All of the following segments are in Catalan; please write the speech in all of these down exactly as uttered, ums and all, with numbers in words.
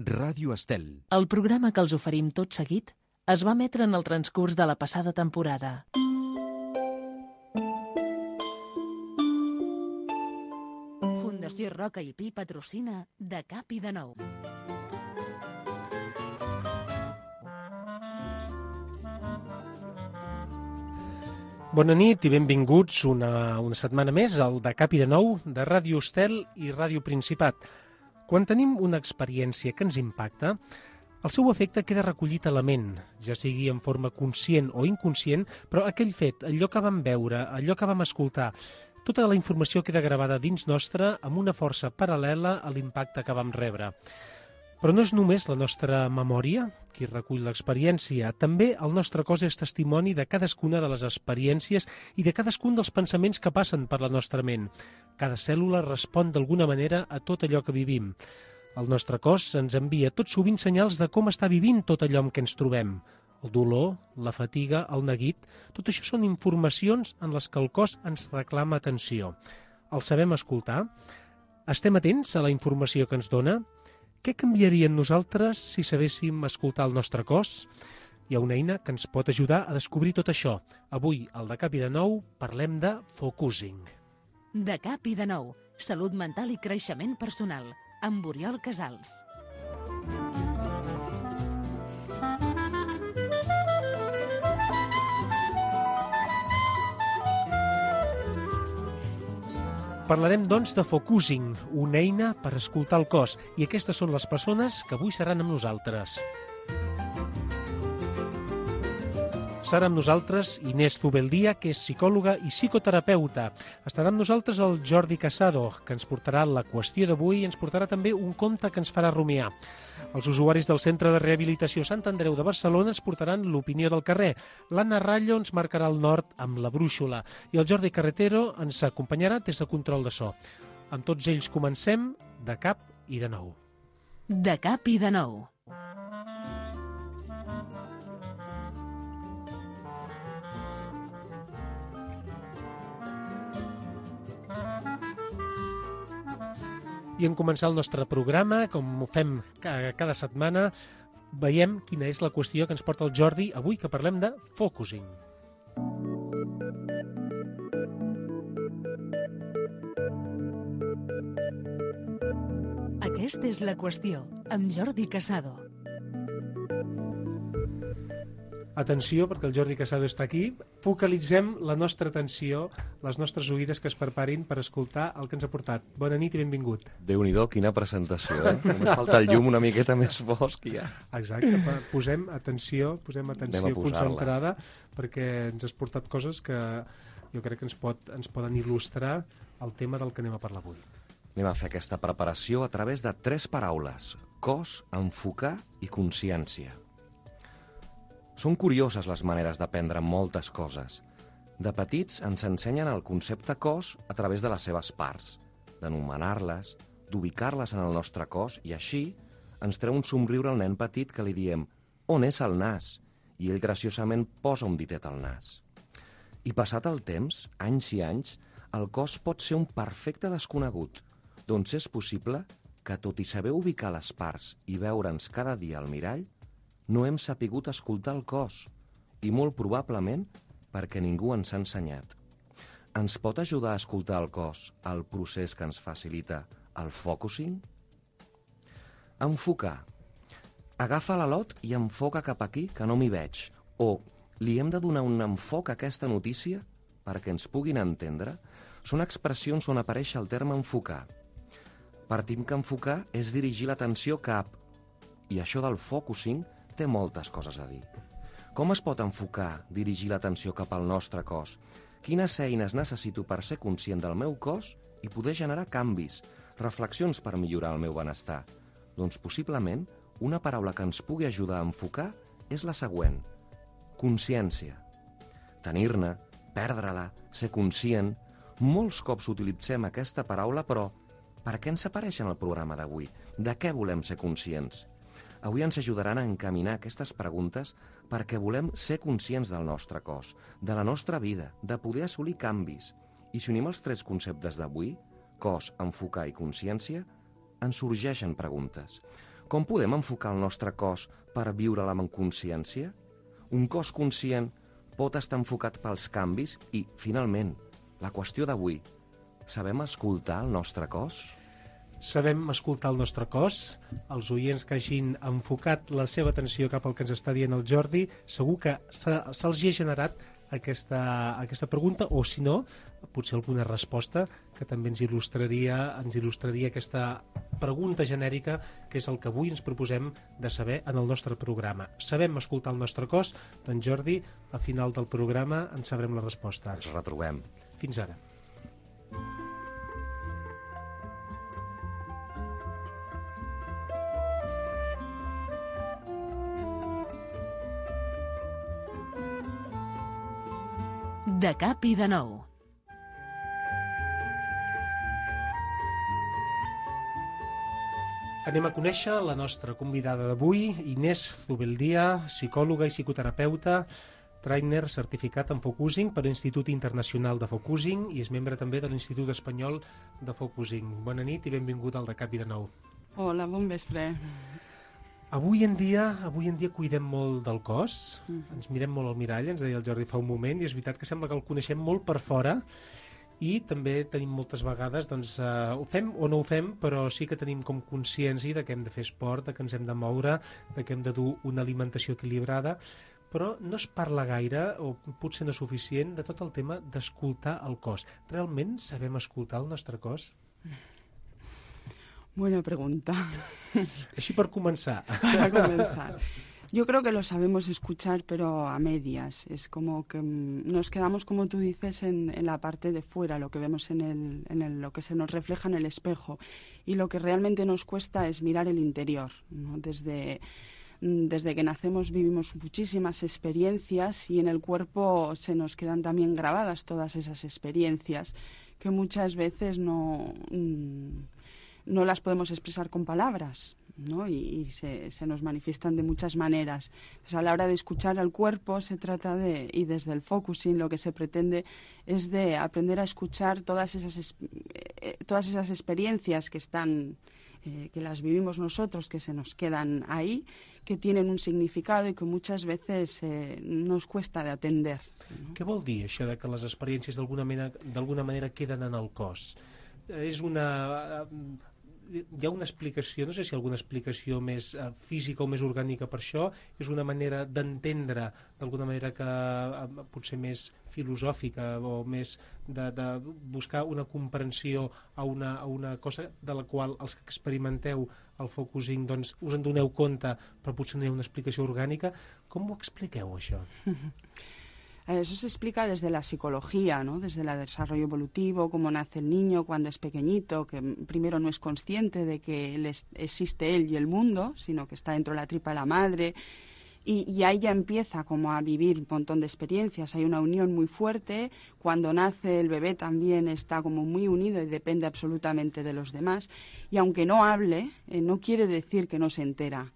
Ràdio Estel. El programa que els oferim tot seguit es va emetre en el transcurs de la passada temporada. Fundació Roca i Pi patrocina De Cap i de Nou. Bona nit i benvinguts una, una setmana més al De Cap i de Nou de Ràdio Estel i Ràdio Principat. Quan tenim una experiència que ens impacta, el seu efecte queda recollit a la ment, ja sigui en forma conscient o inconscient, però aquell fet, allò que vam veure, allò que vam escoltar, tota la informació queda gravada dins nostre amb una força paral·lela a l'impacte que vam rebre. Però no és només la nostra memòria qui recull l'experiència, també el nostre cos és testimoni de cadascuna de les experiències i de cadascun dels pensaments que passen per la nostra ment. Cada cèl·lula respon d'alguna manera a tot allò que vivim. El nostre cos ens envia tot sovint senyals de com està vivint tot allò amb què ens trobem. El dolor, la fatiga, el neguit, tot això són informacions en les que el cos ens reclama atenció. El sabem escoltar? Estem atents a la informació que ens dona? Què canviaria en nosaltres si sabéssim escoltar el nostre cos? Hi ha una eina que ens pot ajudar a descobrir tot això. Avui, al De Cap i de Nou, parlem de focusing. De Cap i de Nou, salut mental i creixement personal, amb Oriol Casals. Parlarem, doncs, de focusing, una eina per escoltar el cos, i aquestes són les persones que avui seran amb nosaltres. Serà amb nosaltres Inés Zubeldia, que és psicòloga i psicoterapeuta. Estarà amb nosaltres el Jordi Casado, que ens portarà la qüestió d'avui i ens portarà també un conte que ens farà rumiar. Els usuaris del Centre de Rehabilitació Sant Andreu de Barcelona ens portaran l'opinió del carrer. L'Anna Rallo ens marcarà el nord amb la brúixola i el Jordi Carretero ens acompanyarà des de control de so. Amb tots ells comencem De Cap i de Nou. De Cap i de Nou. I en començar el nostre programa, com ho fem cada setmana, veiem quina és la qüestió que ens porta el Jordi avui, que parlem de focusing. Aquesta és la qüestió, amb Jordi Casado. Atenció, perquè el Jordi Casado està aquí. Focalitzem la nostra atenció, les nostres oïdes que es preparin per escoltar el que ens ha portat. Bona nit i benvingut. Déu-n'hi-do, quina presentació, eh? Només falta el llum una miqueta més fosc i ja. Exacte, posem atenció, posem atenció concentrada, perquè ens has portat coses que jo crec que ens, pot, ens poden il·lustrar el tema del que anem a parlar avui. Anem a fer aquesta preparació a través de tres paraules: cos, enfocar i consciència. Són curioses les maneres d'aprendre moltes coses. De petits ens ensenyen el concepte cos a través de les seves parts, d'anomenar-les, d'ubicar-les en el nostre cos, i així ens treu un somriure al nen petit que li diem «On és el nas?» i ell graciosament posa un ditet al nas. I passat el temps, anys i anys, el cos pot ser un perfecte desconegut, doncs és possible que, tot i saber ubicar les parts i veure'ns cada dia al mirall, no hem sapigut escoltar el cos, i molt probablement perquè ningú ens ha ensenyat. Ens pot ajudar a escoltar el cos el procés que ens facilita el focusing? Enfocar. Agafa l'alot i enfoca cap aquí, que no m'hi veig. O li hem de donar un enfoc a aquesta notícia perquè ens puguin entendre? Són expressions on apareix el terme enfocar. Partim que enfocar és dirigir l'atenció cap, i això del focusing té moltes coses a dir. Com es pot enfocar, dirigir l'atenció cap al nostre cos? Quines eines necessito per ser conscient del meu cos i poder generar canvis, reflexions per millorar el meu benestar? Doncs possiblement una paraula que ens pugui ajudar a enfocar és la següent: consciència. Tenir-ne, perdre-la, ser conscient. Molts cops utilitzem aquesta paraula, però per què ens apareix en el programa d'avui? De què volem ser conscients? Avui ens ajudaran a encaminar aquestes preguntes perquè volem ser conscients del nostre cos, de la nostra vida, de poder assolir canvis. I si unim els tres conceptes d'avui, cos, enfocar i consciència, ens sorgeixen preguntes. Com podem enfocar el nostre cos per viure-la amb consciència? Un cos conscient pot estar enfocat pels canvis i, finalment, la qüestió d'avui, sabem escoltar el nostre cos? Sabem escoltar el nostre cos. Els oients que hagin enfocat la seva atenció cap al que ens està dient el Jordi, segur que se'ls hi ha generat aquesta, aquesta pregunta, o si no, potser alguna resposta que també ens il·lustraria, ens il·lustraria aquesta pregunta genèrica, que és el que avui ens proposem de saber en el nostre programa. Sabem escoltar el nostre cos? Doncs Jordi, a final del programa en sabrem la resposta. Ens retrobem. Fins ara. De cap i de nou. Anem a conèixer la nostra convidada d'avui, Inés Zubeldia, psicòloga i psicoterapeuta, trainer certificat en Focusing per l'Institut Internacional de Focusing i és membre també de l'Institut Espanyol de Focusing. Bona nit i benvinguda al De cap i de nou. Hola, bon vespre. Avui en dia avui en dia cuidem molt del cos, Mm. ens mirem molt al mirall, ens deia el Jordi fa un moment, i és veritat que sembla que el coneixem molt per fora i també tenim moltes vegades, doncs, eh, ho fem o no ho fem, però sí que tenim com consciència de que hem de fer esport, de que ens hem de moure, de que hem de dur una alimentació equilibrada, però no es parla gaire, o potser no és suficient, de tot el tema d'escoltar el cos. Realment sabem escoltar el nostre cos? Buena pregunta. Així per començar. Para comenzar. Yo creo que lo sabemos escuchar, pero a medias. Es como que mm, nos quedamos, como tú dices, en, en la parte de fuera, lo que vemos en, el, en el, lo que se nos refleja en el espejo. Y lo que realmente nos cuesta es mirar el interior, ¿no? Desde, desde que nacemos vivimos muchísimas experiencias y en el cuerpo se nos quedan también grabadas todas esas experiencias que muchas veces no... Mm, no las podemos expresar con palabras, ¿no? Y, y se, se nos manifiestan de muchas maneras. Entonces, a la hora de escuchar al cuerpo se trata de, y desde el focusing lo que se pretende es de aprender a escuchar todas esas, eh, todas esas experiencias que están, eh, que las vivimos nosotros, que se nos quedan ahí, que tienen un significado y que muchas veces eh, nos cuesta de atender, ¿no? Què vol dir això de que les experiències d'alguna manera, d'alguna manera queden en el cos? És una... Hi ha una explicació, no sé si hi ha alguna explicació més uh, física o més orgànica per això, és una manera d'entendre d'alguna manera que uh, potser més filosòfica o més de, de buscar una comprensió a una, a una cosa de la qual els que experimenteu el focusing doncs us en doneu compte però potser no hi ha una explicació orgànica. Com ho expliqueu això? Eso se explica desde la psicología, ¿no? Desde el desarrollo evolutivo, cómo nace el niño cuando es pequeñito, que primero no es consciente de que él es, existe él y el mundo, sino que está dentro de la tripa de la madre, y, y ahí ya empieza como a vivir un montón de experiencias. Hay una unión muy fuerte, cuando nace el bebé también está como muy unido y depende absolutamente de los demás, y aunque no hable, eh, no quiere decir que no se entera,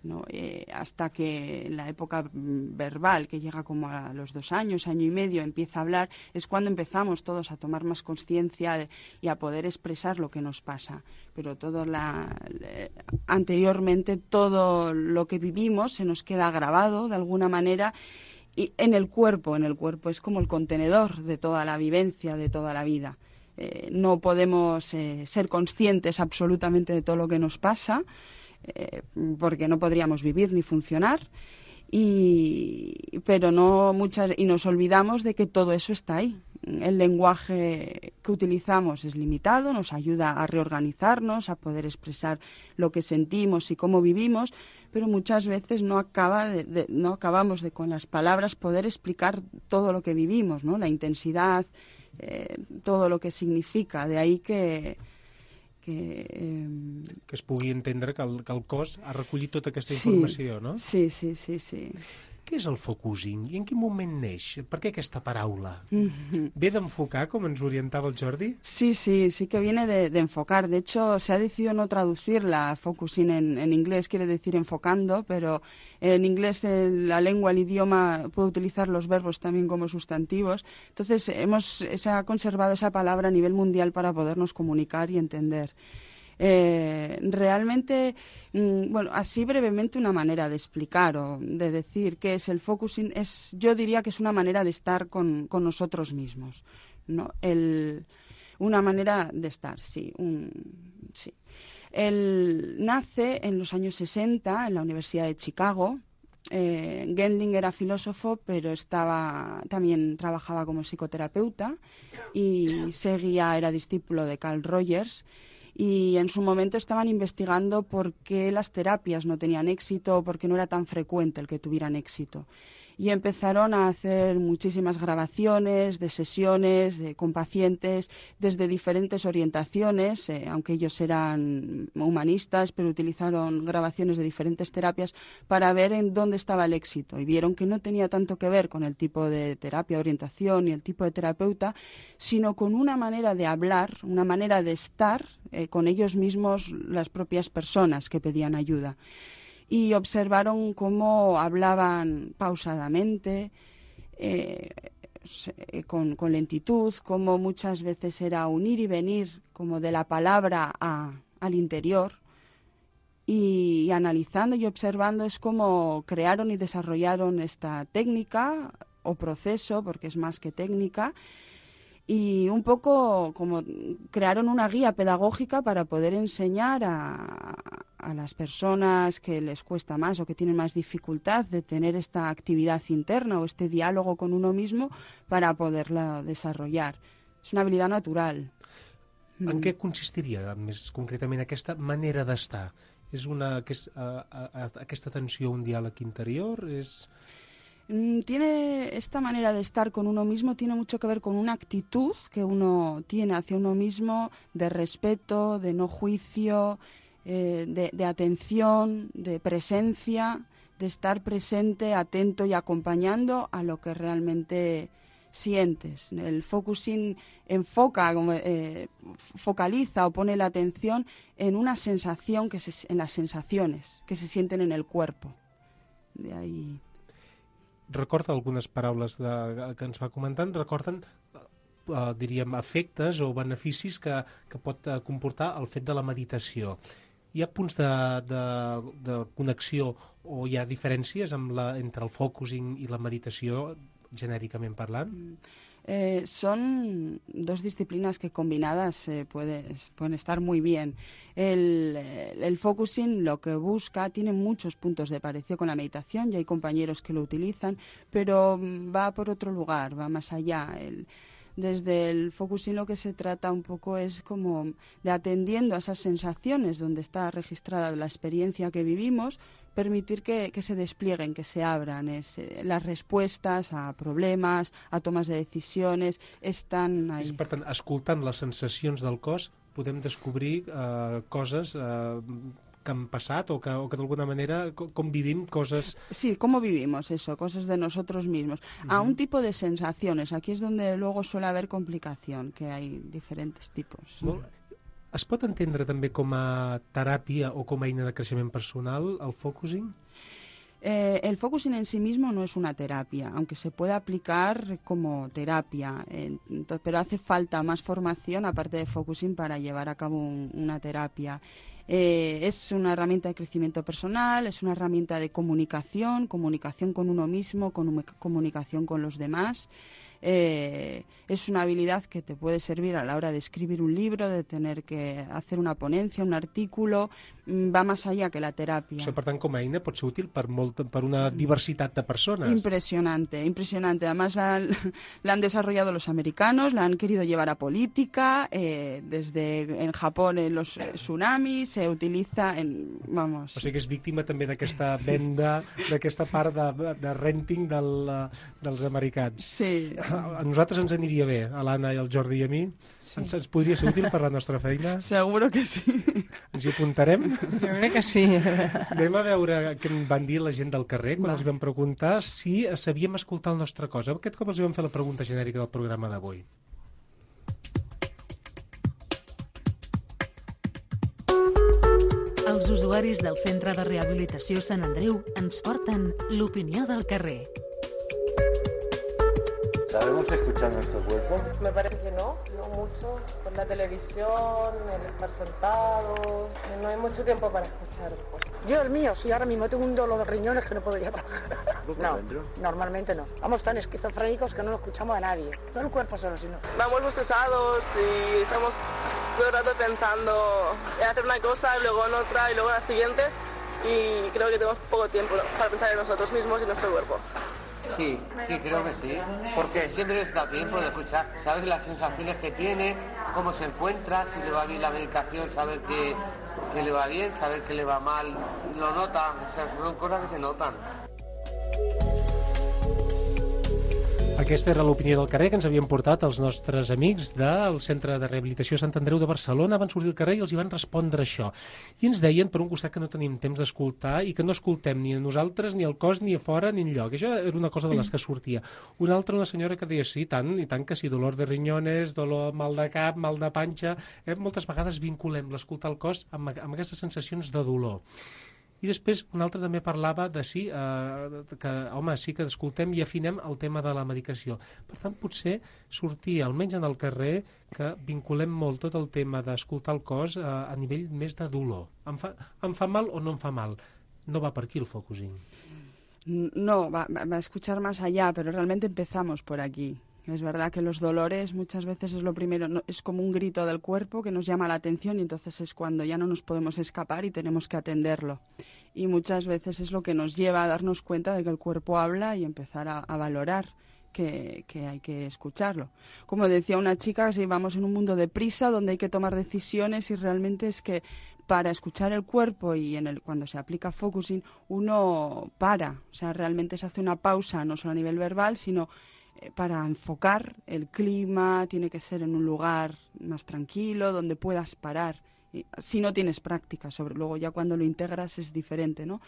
¿no? Eh, hasta que en la época verbal, que llega como a los dos años, año y medio, empieza a hablar, es cuando empezamos todos a tomar más conciencia y a poder expresar lo que nos pasa. Pero todo la, eh, anteriormente todo lo que vivimos se nos queda grabado de alguna manera y en el cuerpo, en el cuerpo es como el contenedor de toda la vivencia, de toda la vida. Eh, no podemos eh, ser conscientes absolutamente de todo lo que nos pasa, Eh, porque no podríamos vivir ni funcionar, y, pero no muchas, y nos olvidamos de que todo eso está ahí. El lenguaje que utilizamos es limitado, nos ayuda a reorganizarnos, a poder expresar lo que sentimos y cómo vivimos, pero muchas veces no acaba de, de, no acabamos de con las palabras poder explicar todo lo que vivimos, ¿no? La intensidad, eh, todo lo que significa. De ahí que Que, eh... que es pugui entendre que el, que el cos ha recollit tota aquesta informació, sí, no? Sí, sí, sí, sí. Què és el focusing i en quin moment neix? Per què aquesta paraula? Mm-hmm. ¿Ve d'enfocar, com ens orientava el Jordi? Sí, sí, sí que viene de, de enfocar. De hecho, se ha decidido no traducirla, focusing en, en inglés quiere decir enfocando, pero en inglés el, la lengua, el idioma puede utilizar los verbos también como sustantivos. Entonces, hemos, se ha conservado esa palabra a nivel mundial para podernos comunicar y entender. Eh, realmente, mm, bueno, así brevemente una manera de explicar o de decir qué es el focusing, es, yo diría que es una manera de estar con, con nosotros mismos, ¿no? El, una manera de estar, sí, un, sí. Él nace en los años sesenta en la Universidad de Chicago. Eh, Gendling era filósofo, pero estaba también trabajaba como psicoterapeuta y seguía, era discípulo de Carl Rogers. Y en su momento estaban investigando por qué las terapias no tenían éxito o por qué no era tan frecuente el que tuvieran éxito. Y empezaron a hacer muchísimas grabaciones de sesiones de, con pacientes desde diferentes orientaciones, eh, aunque ellos eran humanistas, pero utilizaron grabaciones de diferentes terapias para ver en dónde estaba el éxito. Y vieron que no tenía tanto que ver con el tipo de terapia, orientación y el tipo de terapeuta, sino con una manera de hablar, una manera de estar eh, con ellos mismos, las propias personas que pedían ayuda. Y observaron cómo hablaban pausadamente, eh, con, con lentitud, cómo muchas veces era un ir y venir como de la palabra a, al interior. Y, y analizando y observando es como crearon y desarrollaron esta técnica o proceso, porque es más que técnica, y un poco como crearon una guía pedagógica para poder enseñar a, a las personas que les cuesta más o que tienen más dificultad de tener esta actividad interna o este diálogo con uno mismo para poderla desarrollar. És una habilitat natural. En què consistiria més concretament aquesta manera d'estar? És una, aquest, a, a, aquesta atenció a un diàleg interior? És... Tiene esta manera de estar con uno mismo tiene mucho que ver con una actitud que uno tiene hacia uno mismo de respeto, de no juicio, eh, de, de atención, de presencia, de estar presente, atento y acompañando a lo que realmente sientes. El focusing enfoca, eh, focaliza o pone la atención en una sensación, que se, en las sensaciones que se sienten en el cuerpo. De ahí... Recorda algunes paraules de, que ens va comentant, recorden, eh, diríem, efectes o beneficis que, que pot eh, comportar el fet de la meditació. Hi ha punts de, de, de connexió o hi ha diferències amb la, entre el focusing i la meditació, genèricament parlant? Eh, son dos disciplinas que combinadas eh, puede, pueden estar muy bien. El, el focusing lo que busca tiene muchos puntos de parecido con la meditación y hay compañeros que lo utilizan, pero va por otro lugar, va más allá. El, desde el focusing lo que se trata un poco es como de atendiendo a esas sensaciones donde está registrada la experiencia que vivimos, permitir que, que se desplieguen, que se abran. Es, eh, las respuestas a problemes, a tomes de decisions, estan ahí. Per tant, escoltant les sensacions del cos, podem descobrir eh, coses eh, que han passat o que, o que d'alguna manera, com, com vivim coses... Sí, cómo vivimos eso, cosas de nosotros mismos. Uh-huh. A un tipo de sensaciones, aquí es donde luego suele haber complicación, que hay diferentes tipos. Molt... Es pot entendre també com a teràpia o com a eina de creixement personal, el focusing? Eh, el focusing en sí mismo no es una terapia, aunque se puede aplicar como terapia, eh, entonces, pero hace falta más formación aparte de focusing para llevar a cabo un, una terapia. Eh, es una herramienta de crecimiento personal, es una herramienta de comunicación, comunicación con uno mismo, con, comunicación con los demás. Eh, es una habilidad que te puede servir a la hora de escribir un libro, de tener que hacer una ponencia, un artículo, va más allá que la terapia. Això, per tant, com a eina pot ser útil per, molt, per una diversitat de persones. Impresionante, impresionante. Además la, la han desarrollado los americanos, la han querido llevar a política, eh, desde en Japón en los tsunamis, se utiliza en, vamos... O sigui que és víctima també d'aquesta venda, d'aquesta part de, de renting del, dels americans. Sí. A nosaltres ens aniria bé, a l'Anna i al Jordi i a mi. Sí. Ens, ens podria ser útil per la nostra feina? Seguro que sí. Ens hi apuntarem? Jo crec que sí. Anem a veure què en van dir la gent del carrer quan Va. els vam preguntar si sabíem escoltar el nostre cos. Aquest cop els vam fer la pregunta genèrica del programa d'avui. Els usuaris del Centre de Rehabilitació Sant Andreu ens porten l'opinió del carrer. ¿Sabemos escuchar nuestro cuerpo? Me parece que no, no mucho. Con la televisión, el estar sentados, no hay mucho tiempo para escuchar el cuerpo. Yo el mío, sí, ahora mismo tengo un dolor de riñones que no podría trabajar. No, dentro? normalmente no. Vamos tan esquizofrénicos que no lo escuchamos a nadie. No el cuerpo solo, sino... Vamos muy pesados y estamos todo el rato pensando en hacer una cosa, y luego en otra y luego en la siguiente. Y creo que tenemos poco tiempo para pensar en nosotros mismos y en nuestro cuerpo. Sí, sí, creo que sí. Porque siempre les da tiempo de escuchar, saber las sensaciones que tiene, cómo se encuentra, si le va bien la medicación, saber que, que le va bien, saber que le va mal, lo nota, o sea, son cosas que se notan. Aquesta era l'opinió del carrer que ens havien portat els nostres amics del Centre de Rehabilitació Sant Andreu de Barcelona. Van sortir al carrer i els hi van respondre això. I ens deien, per un costat, que no tenim temps d'escoltar i que no escoltem ni a nosaltres, ni al cos, ni a fora, ni enlloc. Això era una cosa de les que sortia. Una altra, una senyora que deia, sí, tant, i tant que sí, dolor de riñones, dolor, mal de cap, mal de panxa... Eh? Moltes vegades vinculem l'escoltar el cos amb, amb aquestes sensacions de dolor. I després un altre també parlava de sí, eh, que home, sí que escoltem i afinem el tema de la medicació. Per tant, potser sortir, almenys en el carrer, que vinculem molt tot el tema d'escoltar el cos eh, a nivell més de dolor. Em fa, em fa mal o no em fa mal? No va per aquí el focusing. No, va, va a escuchar más allá, pero realmente empezamos por aquí. Es verdad que los dolores muchas veces es lo primero, no, es como un grito del cuerpo que nos llama la atención y entonces es cuando ya no nos podemos escapar y tenemos que atenderlo. Y muchas veces es lo que nos lleva a darnos cuenta de que el cuerpo habla y empezar a, a valorar que, que hay que escucharlo. Como decía una chica, si vamos en un mundo de prisa donde hay que tomar decisiones y realmente es que para escuchar el cuerpo y en el, cuando se aplica focusing uno para, o sea, realmente se hace una pausa no solo a nivel verbal, sino para enfocar el clima, tiene que ser en un lugar más tranquilo, donde puedas parar. Y, si no tienes práctica sobre, luego ya cuando lo integras es diferente, ¿no?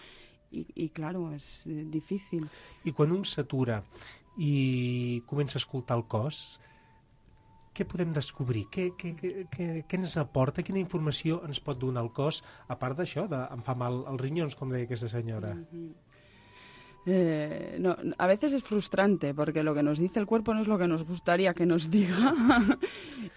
I, i claro, és eh, difícil. I quan un s'atura i comença a escoltar el cos, què podem descobrir? Què, què, què, què ens aporta? Quina informació ens pot donar el cos, a part d'això, de em fa mal els rinyons, com deia aquesta senyora? Mm-hmm. Eh, no, a veces es frustrante porque lo que nos dice el cuerpo no es lo que nos gustaría que nos diga.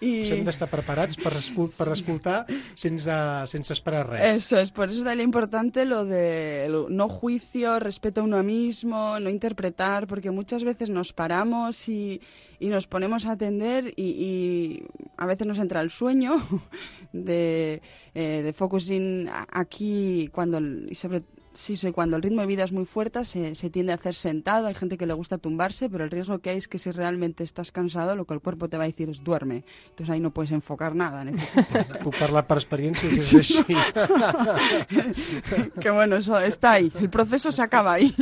Y... Pues hem d'estar preparats per, escol per escoltar sense, sense esperar res. Eso es, por eso es importante lo de lo, no juicio, respeto a uno mismo, no interpretar, porque muchas veces nos paramos y, y nos ponemos a atender y, y a veces nos entra el sueño de, eh, de focusing aquí cuando y sobre Sí, sí, cuando el ritmo de vida es muy fuerte se, se tiende a hacer sentado, hay gente que le gusta tumbarse, pero el riesgo que hay es que si realmente estás cansado, lo que el cuerpo te va a decir es duerme. Entonces ahí no puedes enfocar nada. Puc parlar per experiència que és així. Que bueno, eso está ahí, el proceso se acaba ahí.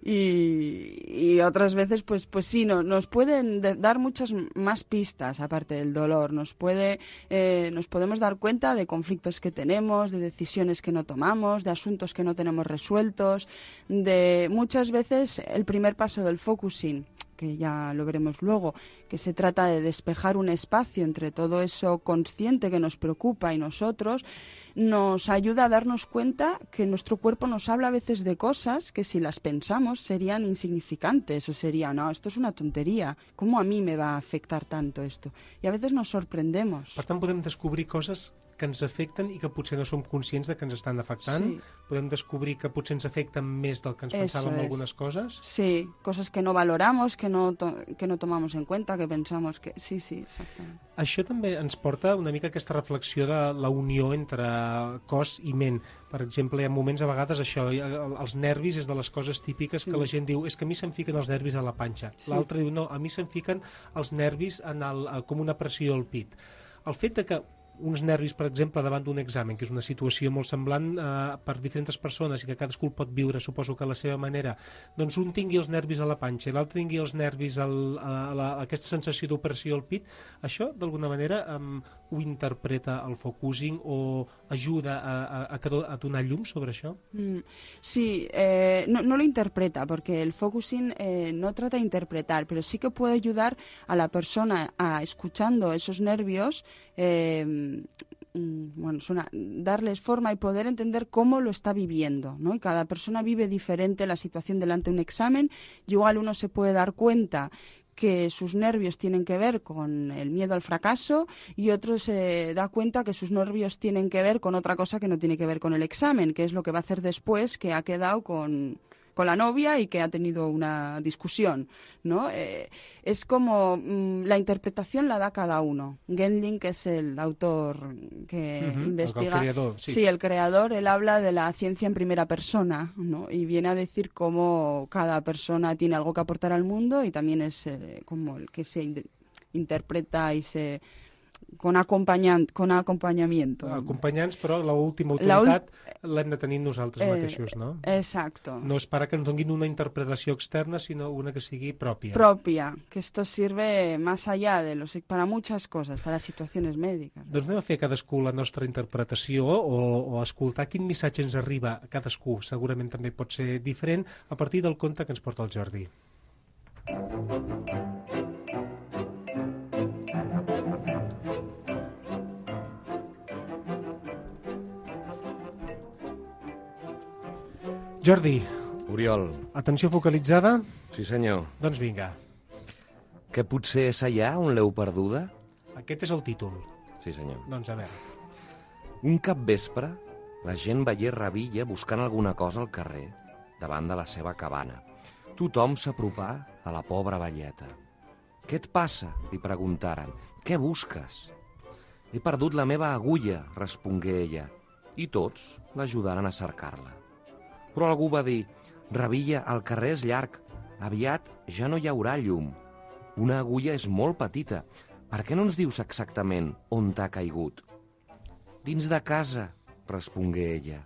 Y, y otras veces, pues, pues sí, no, nos pueden de, dar muchas más pistas aparte del dolor. Nos puede, eh, nos podemos dar cuenta de conflictos que tenemos, de decisiones que no tomamos, de asuntos que no tenemos resueltos, de muchas veces el primer paso del focusing, que ya lo veremos luego, que se trata de despejar un espacio entre todo eso consciente que nos preocupa y nosotros, nos ayuda a darnos cuenta que nuestro cuerpo nos habla a veces de cosas que si las pensamos serían insignificantes o sería, no, esto es una tontería, ¿cómo a mí me va a afectar tanto esto? Y a veces nos sorprendemos. Per tant, podem descobrir coses que ens afecten i que potser no som conscients de que ens estan afectant. Sí. Podem descobrir que potser ens afecten més del que ens pensàvem algunes coses. Sí, cosas que no valoramos, que no, que no tomamos en cuenta, que pensamos que... Sí, sí, exactament. Això també ens porta una mica aquesta reflexió de la unió entre cos i ment. Per exemple, hi ha moments, a vegades, això, els nervis és de les coses típiques sí. que la gent diu és que a mi se'm fiquen els nervis a la panxa. Sí. L'altre diu, no, a mi se'm fiquen els nervis en el, com una pressió al pit. El fet de que uns nervis, per exemple, davant d'un examen, que és una situació molt semblant eh, per diferents persones i que cadascú pot viure, suposo que a la seva manera, doncs un tingui els nervis a la panxa i l'altre tingui els nervis al, a, la, a aquesta sensació d'opressió al pit, això d'alguna manera um, ho interpreta el focusing o ajuda a, a, a, a donar llum sobre això? Mm, sí, eh, no, no lo interpreta, porque el focusing eh, no trata de interpretar, pero sí que puede ayudar a la persona a, escuchando esos nervios, eh, bueno, suena, darles forma y poder entender cómo lo está viviendo, ¿no? Y cada persona vive diferente la situación delante de un examen. Igual uno se puede dar cuenta que sus nervios tienen que ver con el miedo al fracaso y otro se da cuenta que sus nervios tienen que ver con otra cosa que no tiene que ver con el examen, que es lo que va a hacer después, que ha quedado con... con la novia y que ha tenido una discusión, ¿no? Eh, es como mmm, la interpretación la da cada uno. Gendling, que es el autor que uh-huh, investiga... El creador, sí. Sí, el creador, él habla de la ciencia en primera persona, ¿no? Y viene a decir cómo cada persona tiene algo que aportar al mundo y también es eh, como el que se in- interpreta y se... con, acompanyant, con acompanyamiento. Acompanyants, però l'última autoritat l'hem de tenir nosaltres eh, mateixos, no? Exacto. No és para que ens donin una interpretació externa, sinó una que sigui pròpia. Propia, que esto sirve más allá de los, para muchas cosas, para situaciones médicas. Doncs anem a fer cadascú la nostra interpretació o, o escoltar quin missatge ens arriba a cadascú. Segurament també pot ser diferent a partir del conte que ens porta el Jordi. Jordi. Oriol. Atenció focalitzada? Sí, senyor. Doncs vinga. Que potser és allà on l'heu perduda? Aquest és el títol. Sí, senyor. Doncs a veure. Un capvespre, la gent veié Revilla buscant alguna cosa al carrer, davant de la seva cabana. Tothom s'apropà a la pobra velleta. «Què et passa?», li preguntaren. «Què busques?». «He perdut la meva agulla», respongué ella, i tots l'ajudaren a cercar-la. Però algú va dir, «Revilla, el carrer és llarg, aviat ja no hi haurà llum. Una agulla és molt petita, per què no ens dius exactament on t'ha caigut?» «Dins de casa», respongué ella.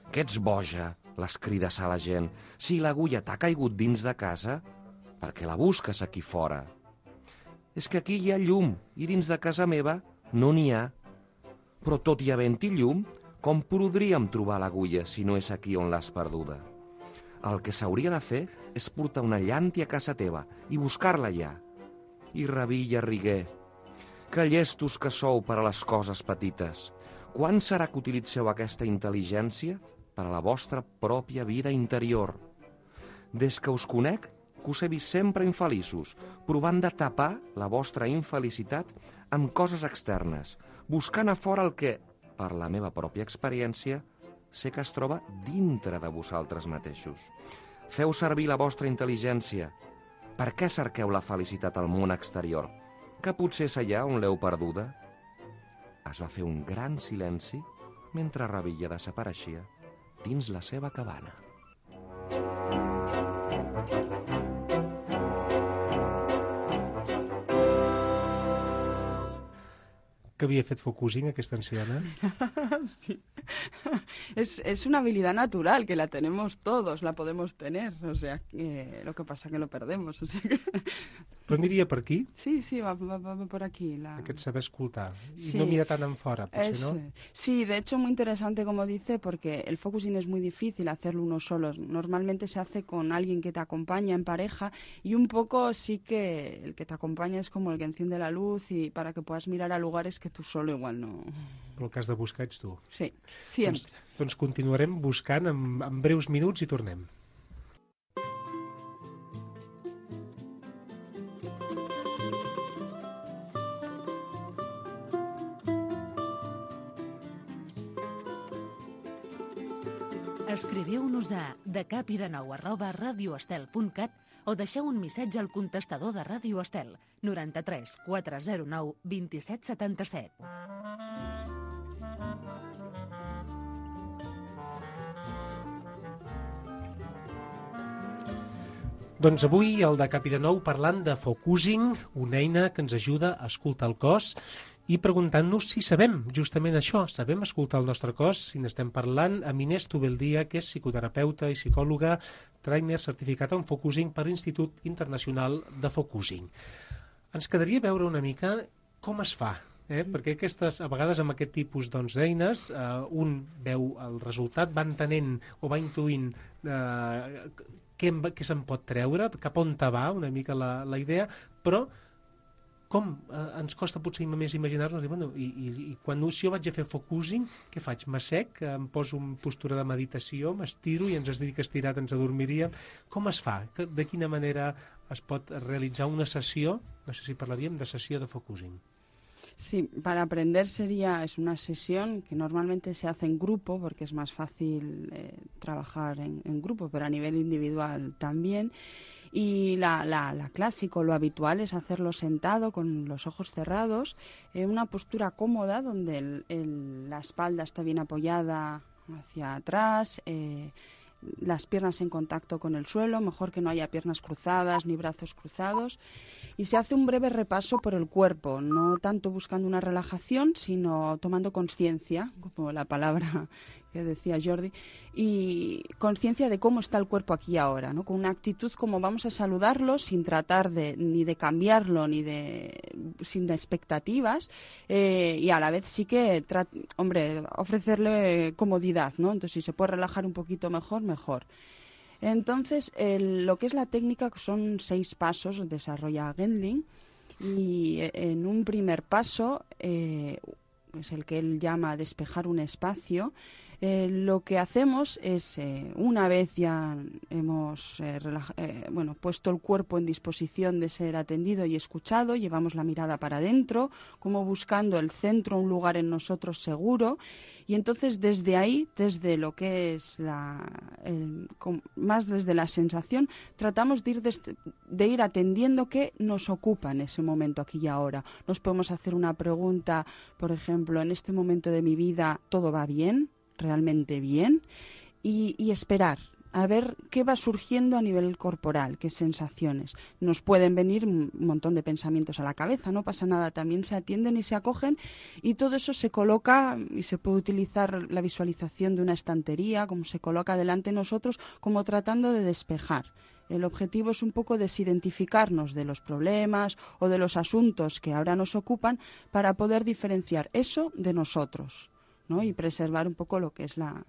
«Que ets boja», les crides a la gent. «Si l'agulla t'ha caigut dins de casa, per què la busques aquí fora?» «És que aquí hi ha llum i dins de casa meva no n'hi ha. Però tot i havent-hi llum, com podríem trobar l'agulla si no és aquí on l'has perduda? El que s'hauria de fer és portar una llàntia a casa teva i buscar-la allà». I Revilla rigué. «Que llestos que sou per a les coses petites. Quan serà que utilitzeu aquesta intel·ligència per a la vostra pròpia vida interior? Des que us conec, que us he vist sempre infeliços, provant de tapar la vostra infelicitat amb coses externes, buscant a fora el que, per la meva pròpia experiència, sé que es troba dintre de vosaltres mateixos. Feu servir la vostra intel·ligència. Per què cerqueu la felicitat al món exterior? Que potser és allà on l'heu perduda?» Es va fer un gran silenci mentre Revilla desapareixia dins la seva cabana. Que havia fet focusing aquesta anciana? Sí. Es, es una habilidad natural que la tenemos todos, la podemos tener, o sea, que lo que pasa que lo perdemos, o sea que... Però aniria per aquí? Sí, sí, va, va, va por aquí. La... Aquest saber escoltar i sí. no mirar tan en fora, potser, es, ¿no? Sí, de hecho muy interesante como dice, porque el focusing es muy difícil hacerlo uno solo. Normalmente se hace con alguien que te acompaña en pareja y un poco sí que el que te acompaña es como el que enciende la luz y para que puedas mirar a lugares que tú solo igual no... Però el que has de buscar ets tu. Sí, sempre. Doncs, doncs continuarem buscant en, en breus minuts i tornem. Escriviu-nos a decapidenou arroba radioestel punt cat o deixeu un missatge al contestador de Ràdio Estel noranta-tres quatre zero nou vint-i-set setanta-set. Doncs avui el de Capidenou parlant de focusing, una eina que ens ajuda a escoltar el cos i preguntant-nos si sabem justament això, sabem escoltar el nostre cos, si n'estem parlant amb Inés Tubeldia, que és psicoterapeuta i psicòloga, trainer certificat en focusing per l'Institut Internacional de Focusing. Ens quedaria veure una mica com es fa, eh? Perquè aquestes, a vegades amb aquest tipus doncs, d'eines, eh, un veu el resultat, va entenent o va intuint eh, què, què se'n pot treure, cap on te va una mica la, la idea, però com eh, ens costa potser més imaginar-nos, bueno, i, i, i quan si jo vaig a fer focusing, què faig? M'assec, em poso en postura de meditació, m'estiro i ens es diu que estirat ens adormiríem. Com es fa? De quina manera es pot realitzar una sessió, no sé si parlaríem de sessió de focusing? Sí, para aprender sería, es una sesión que normalmente se hace en grupo porque es más fácil eh, trabajar en, en grupo, pero a nivel individual también. Y la, la, la clásico, lo habitual es hacerlo sentado con los ojos cerrados, en una postura cómoda donde el, el, la espalda está bien apoyada hacia atrás, eh, las piernas en contacto con el suelo, mejor que no haya piernas cruzadas ni brazos cruzados, y se hace un breve repaso por el cuerpo, no tanto buscando una relajación, sino tomando conciencia, como la palabra que decía Jordi, y conciencia de cómo está el cuerpo aquí y ahora, ¿no? Con una actitud como vamos a saludarlo sin tratar de ni de cambiarlo ni de sin de expectativas, eh, y a la vez sí que hombre ofrecerle comodidad, ¿no? Entonces si se puede relajar un poquito mejor, mejor. Entonces el, lo que es la técnica son seis pasos, desarrolla Gendling, y en un primer paso eh, es el que él llama despejar un espacio. Eh, lo que hacemos es, eh, una vez ya hemos eh, relaja- eh, bueno, puesto el cuerpo en disposición de ser atendido y escuchado, llevamos la mirada para adentro, como buscando el centro, un lugar en nosotros seguro, y entonces desde ahí, desde lo que es la, el, con, más desde la sensación, tratamos de ir, des- de ir atendiendo qué nos ocupa en ese momento, aquí y ahora. Nos podemos hacer una pregunta, por ejemplo, en este momento de mi vida, ¿todo va bien? Realmente bien, y, y esperar a ver qué va surgiendo a nivel corporal, qué sensaciones. Nos pueden venir un montón de pensamientos a la cabeza, no pasa nada, también se atienden y se acogen, y todo eso se coloca y se puede utilizar la visualización de una estantería, como se coloca delante de nosotros, como tratando de despejar. El objetivo es un poco desidentificarnos de los problemas o de los asuntos que ahora nos ocupan para poder diferenciar eso de nosotros, ¿no? Y preservar un poco lo que es la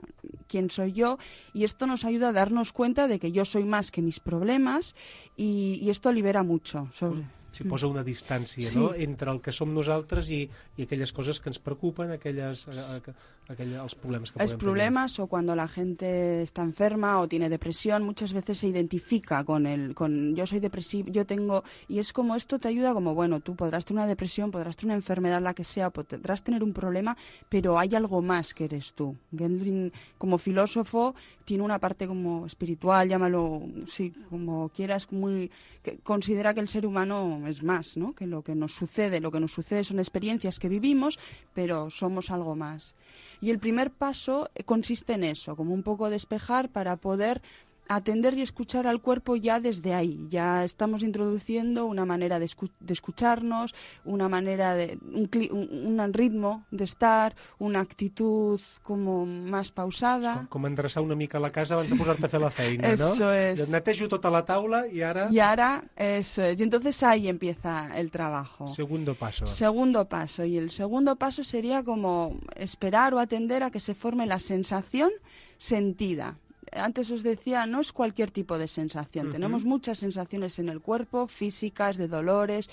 quién soy yo, y esto nos ayuda a darnos cuenta de que yo soy más que mis problemas, y, y esto libera mucho sobre... Si posa una distància, sí, no?, entre el que som nosaltres i, i aquelles coses que ens preocupen, aquelles, aquelles, els problemes que es podem problemas tenir. O cuando la gente está enferma o tiene depresión, muchas veces se identifica con el con yo soy depresivo, yo tengo, y es como esto te ayuda como, bueno, tú podrás tener una depresión, podrás tener una enfermedad, la que sea, podrás tener un problema, pero hay algo más que eres tú. Gendling, como filósofo, tiene una parte como espiritual, llámalo, sí, como quieras, muy que considera que el ser humano es más, ¿no?, que lo que nos sucede. Lo que nos sucede son experiencias que vivimos, pero somos algo más. Y el primer paso consiste en eso, como un poco despejar para poder atender y escuchar al cuerpo ya desde ahí. Ya estamos introduciendo una manera de, escu- de escucharnos, una manera de un, cli- un, un ritmo de estar, una actitud como más pausada. Com, com endreçar una mica la casa abans de posar-te a fer la feina, eso no? Es. Netejo tota la taula y ahora... Y ahora, eso es. Y entonces ahí empieza el trabajo. Segundo paso. Segundo paso. Y el segundo paso sería como esperar o atender a que se forme la sensación sentida. Antes os decía, no es cualquier tipo de sensación. Uh-huh. Tenemos muchas sensaciones en el cuerpo, físicas, de dolores.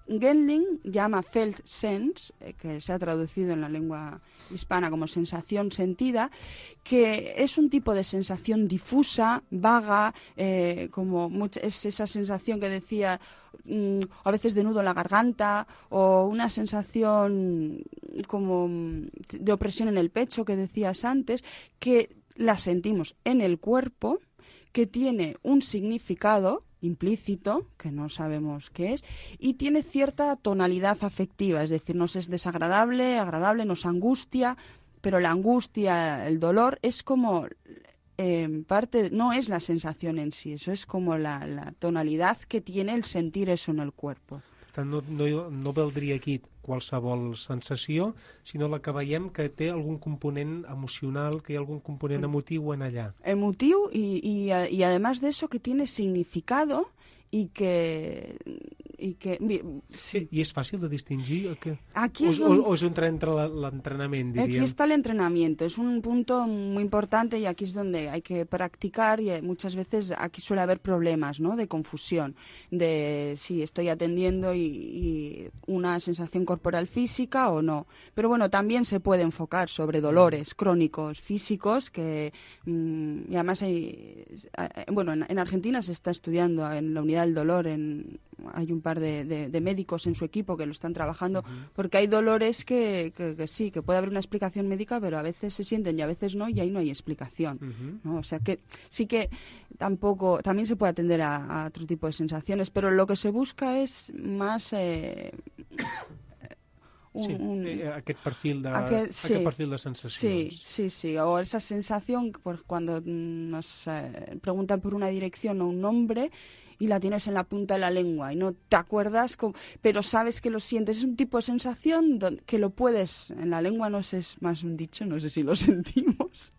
Gendling llama felt sense, eh, que se ha traducido en la lengua hispana como sensación sentida, que es un tipo de sensación difusa, vaga, eh, como mucha, es esa sensación que decía, mmm, a veces de nudo en la garganta, o una sensación como de opresión en el pecho que decías antes, que la sentimos en el cuerpo, que tiene un significado implícito, que no sabemos qué es, y tiene cierta tonalidad afectiva, es decir, nos es desagradable, agradable, nos angustia, pero la angustia, el dolor, es como eh, parte, no es la sensación en sí, eso es como la, la tonalidad que tiene el sentir eso en el cuerpo. No, no, no valdria aquí qualsevol sensació, sinó la que veiem que té algun component emocional, que hi ha algun component emotiu en allà. Emotiu y, y, y además de eso que tiene significado y que, y que... Sí. I és fàcil de distingir? Que... Aquí o, es donde... o, o es entra entre l'entrenamiento, diríem? Aquí está el entrenamiento, es un punto muy importante y aquí es donde hay que practicar y muchas veces aquí suele haber problemas, ¿no?, de confusión, de si estoy atendiendo y, y una sensación corporal física o no. Pero bueno, también se puede enfocar sobre dolores crónicos físicos que, mmm, y además hay, bueno, en, en Argentina se está estudiando en la unidad del dolor, en, hay un par de, de, de médicos en su equipo que lo están trabajando, uh-huh. porque hay dolores que, que, que sí, que puede haber una explicación médica, pero a veces se sienten y a veces no, y ahí no hay explicación, uh-huh. ¿no? O sea que sí que tampoco, también se puede atender a, a otro tipo de sensaciones, pero lo que se busca es más... Eh, Un, sí, un, aquest perfil de, aquest, sí, aquest perfil de sensacions. Sí, sí, sí. O esa sensación, pues, cuando nos eh, preguntan por una dirección o un nombre y la tienes en la punta de la lengua y no te acuerdas, con, pero sabes que lo sientes. Es un tipo de sensación donde, que lo puedes, en la lengua no sé, es más un dicho, no sé si lo sentimos,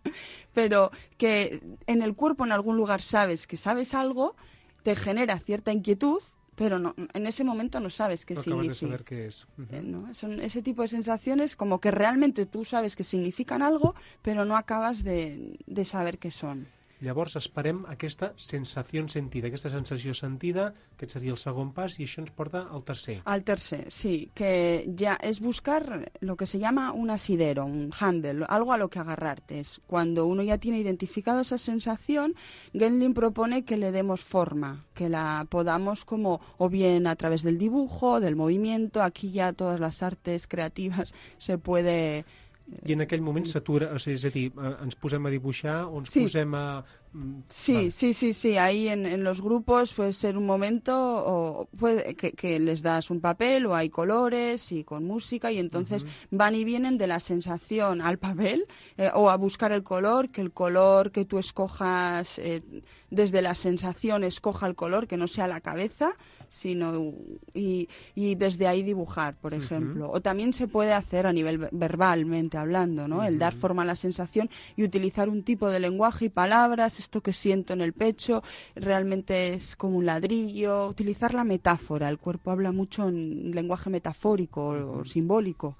pero que en el cuerpo en algún lugar sabes que sabes algo, te genera cierta inquietud, pero no, en ese momento no sabes qué no significa. Acabas de saber qué es. Uh-huh. eh, ¿no? Son ese tipo de sensaciones como que realmente tú sabes que significan algo, pero no acabas de, de saber qué son. Llavors esperem aquesta sensació sentida, aquesta sensació sentida, aquest seria el segon pas, i això ens porta al tercer. Al tercer, sí, que ya es buscar lo que se llama un asidero, un handle, algo a lo que agarrarte. Es cuando uno ya tiene identificado esa sensación, Gendlin propone que le demos forma, que la podamos como, o bien a través del dibujo, del movimiento, aquí ya todas las artes creativas se puede... I en aquell moment s'atura, o sigui, és a dir, ens posem a dibuixar o ens sí. posem a... Sí, vale. sí, sí, sí, ahí en, en los grupos puede ser un momento o puede, que, que les das un papel o hay colores y con música y entonces uh-huh. van y vienen de la sensación al papel eh, o a buscar el color, que el color que tú escojas eh, desde la sensación escoja el color, que no sea la cabeza, sino y, y desde ahí dibujar, por ejemplo. Uh-huh. O también se puede hacer a nivel verbalmente hablando, ¿no? Uh-huh. El dar forma a la sensación y utilizar un tipo de lenguaje y palabras, esto que siento en el pecho, realmente es como un ladrillo, utilizar la metáfora, el cuerpo habla mucho en lenguaje metafórico uh-huh. o simbólico,